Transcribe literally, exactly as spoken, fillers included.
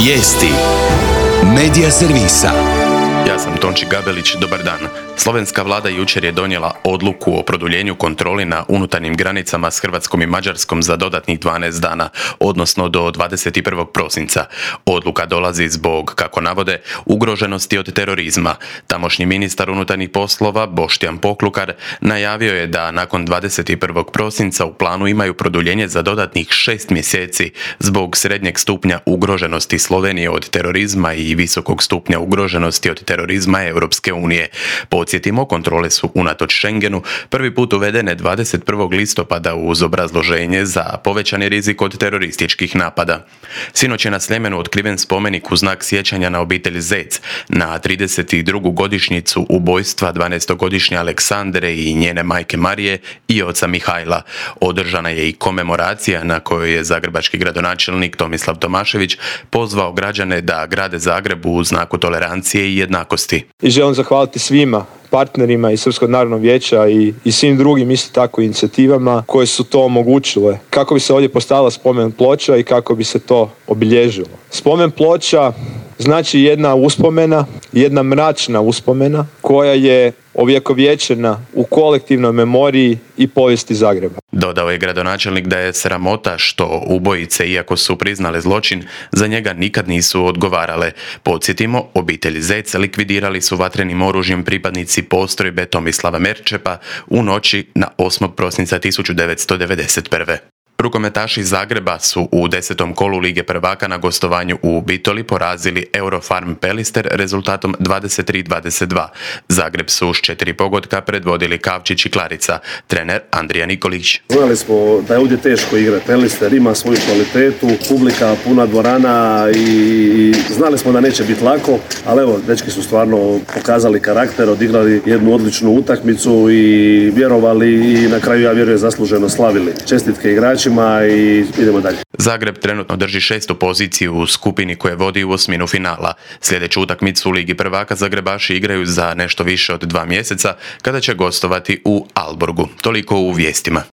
Vijesti Medija servisa. Ja sam Tonči Gabelić, dobar dan. Slovenska vlada jučer je donijela odluku o produljenju kontroli na unutarnjim granicama s Hrvatskom i Mađarskom za dodatnih dvanaest dana, odnosno do dvadeset prvog prosinca. Odluka dolazi zbog, kako navode, ugroženosti od terorizma. Tamošnji ministar unutarnjih poslova, Boštjan Poklukar, najavio je da nakon dvadeset prvog prosinca u planu imaju produljenje za dodatnih šest mjeseci zbog srednjeg stupnja ugroženosti Slovenije od terorizma i visokog stupnja ugroženosti od terorizma Europske unije. Podsjetimo, kontrole su unatoč Schengenu prvi put uvedene dvadeset prvog listopada uz obrazloženje za povećani rizik od terorističkih napada. Sinoć je na Sljemenu otkriven spomenik u znak sjećanja na obitelj Zec na trideset drugu godišnjicu ubojstva dvanaestogodišnje Aleksandre i njene majke Marije i oca Mihajla. Održana je i komemoracija na kojoj je zagrebački gradonačelnik Tomislav Tomašević pozvao građane da grade Zagreb u znaku tolerancije i jednakosti. I želim zahvaliti svima partnerima iz Srpskog narodnog vijeća i, i svim drugim isto tako inicijativama koje su to omogućile. Kako bi se ovdje postavila spomen ploča i kako bi se to obilježilo. Spomen ploča znači jedna uspomena, jedna mračna uspomena koja je ovjekovječena u kolektivnoj memoriji i povijesti Zagreba. Dodao je gradonačelnik da je sramota što ubojice, iako su priznale zločin, za njega nikad nisu odgovarale. Podsjetimo, obitelj Zec likvidirali su vatrenim oružjem pripadnici postrojbe Tomislava Merčepa u noći na osmog prosinca tisuću devetsto devedeset prve. Rukometaši iz Zagreba su u desetom kolu Lige prvaka na gostovanju u Bitoli porazili Eurofarm Pelister rezultatom dvadeset tri dvadeset dva. Zagreb su s četiri pogotka predvodili Kavčić i Klarica, trener Andrija Nikolić. Znali smo da je ovdje teško igrati. Pelister ima svoju kvalitetu, publika, puna dvorana i znali smo da neće biti lako, ali evo, dečki su stvarno pokazali karakter, odigrali jednu odličnu utakmicu i vjerovali i na kraju, ja vjerujem, zasluženo slavili. Čestitke igračima i idemo dalje. Zagreb trenutno drži šestu poziciju u skupini koje vodi u osminu finala. Sljedeću utakmicu u Ligi prvaka Zagrebaši igraju za nešto više od dva mjeseca kada će gostovati u Alborgu. Toliko u vijestima.